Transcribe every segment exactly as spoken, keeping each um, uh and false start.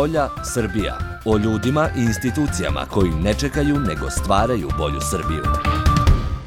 Bolja Srbija. O ljudima i institucijama koji ne čekaju nego stvaraju bolju Srbiju.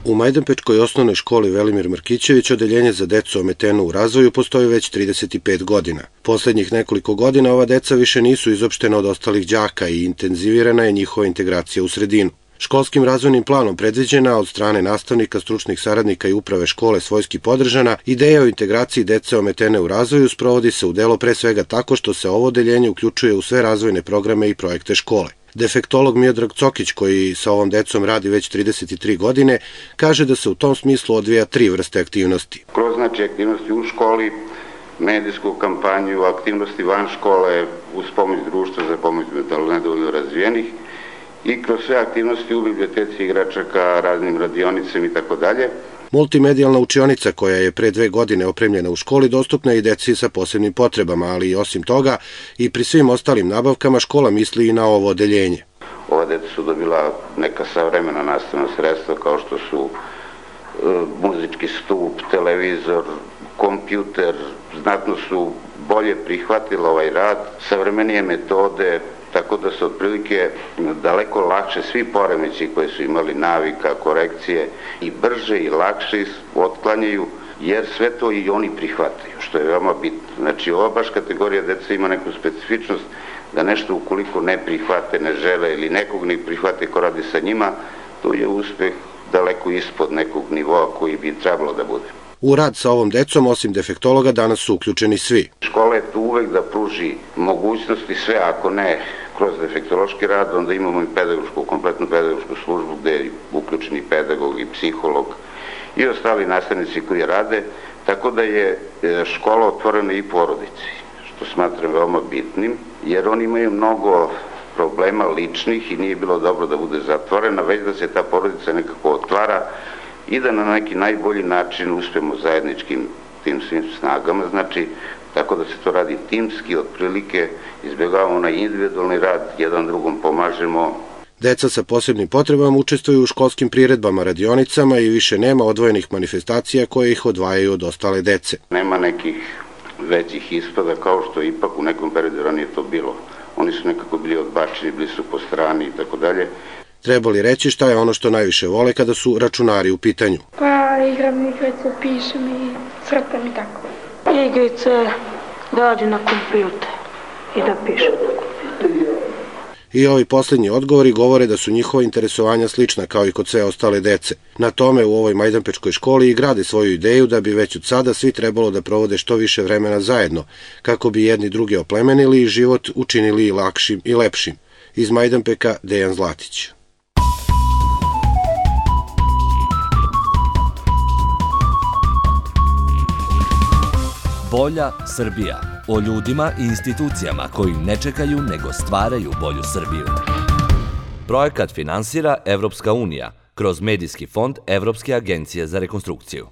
U Majdanpečkoj osnovnoj školi Velimir Markićević odeljenje za decu ometenu u razvoju postoji već trideset pet godina. Poslednjih nekoliko godina ova deca više nisu izopštena od ostalih đaka i intenzivirana je njihova integracija u sredinu. Školskim razvojnim planom predviđena od strane nastavnika, stručnih saradnika i uprave škole svojski podržana, ideja o integraciji dece ometene u razvoju sprovodi se u delo pre svega tako što se ovo odeljenje uključuje u sve razvojne programe i projekte škole. Defektolog Miodrag Cokić, koji sa ovom decom radi već trideset tri godine, kaže da se u tom smislu odvija tri vrste aktivnosti. Kroz znači aktivnosti u školi, medijsku kampanju, aktivnosti van škole, uz pomoć društva za pomoć nedovoljno razvijenih i kroz sve aktivnosti u biblioteci igračaka, raznim radionicama i tako dalje. Multimedijalna učionica koja je pre dve godine opremljena u školi dostupna je i deci sa posebnim potrebama, ali i osim toga i pri svim ostalim nabavkama škola misli i na ovo odeljenje. Ova deca su dobila neka savremena nastavna sredstva kao što su e, muzički stup, televizor, kompjuter, znatno su bolje prihvatila ovaj rad, savremenije metode, tako da su otprilike daleko lakše svi poremeći koji su imali navika, korekcije i brže i lakše otklanjaju, jer sve to i oni prihvataju, što je veoma bitno. Znači, ova baš kategorija deca ima neku specifičnost da nešto ukoliko ne prihvate, ne žele ili nekog ne prihvate ko radi sa njima, to je uspeh daleko ispod nekog nivoa koji bi trebalo da bude. U rad sa ovom decom, osim defektologa, danas su uključeni svi. Škola je tu uvek da pruži mogućnosti sve, ako ne kroz defektološki rad, onda imamo i pedagošku, kompletnu pedagošku službu gde je uključeni pedagog i psiholog i ostali nastavnici koji rade, tako da je škola otvorena i porodici, što smatram veoma bitnim, jer oni imaju mnogo problema ličnih i nije bilo dobro da bude zatvorena, već da se ta porodica nekako otvara i da na neki najbolji način uspemo zajedničkim tim svim snagama, znači tako da se to radi timski, otprilike izbjegavamo na individualni rad, jedan drugom pomažemo. Deca sa posebnim potrebama učestvuju u školskim priredbama, radionicama i više nema odvojenih manifestacija koje ih odvajaju od ostale dece. Nema nekih većih ispada kao što ipak u nekom periodu ranije to bilo. Oni su nekako bili odbačeni, bili su po strani i tako dalje. Treba li reći šta je ono što najviše vole kada su računari u pitanju? Pa igram igrice, pišem i crtam i tako. Igrice da radim na kompjuter i da pišem na kompjuter. I ovi poslednji odgovori govore da su njihova interesovanja slična kao i kod sve ostale dece. Na tome u ovoj Majdanpečkoj školi i grade svoju ideju da bi već od sada svi trebalo da provode što više vremena zajedno, kako bi jedni druge oplemenili i život učinili lakšim i lepšim. Iz Majdanpeka, Dejan Zlatić. Bolja Srbija. O ljudima i institucijama koji ne čekaju nego stvaraju bolju Srbiju. Projekat finansira Evropska unija kroz Medijski fond Evropske agencije za rekonstrukciju.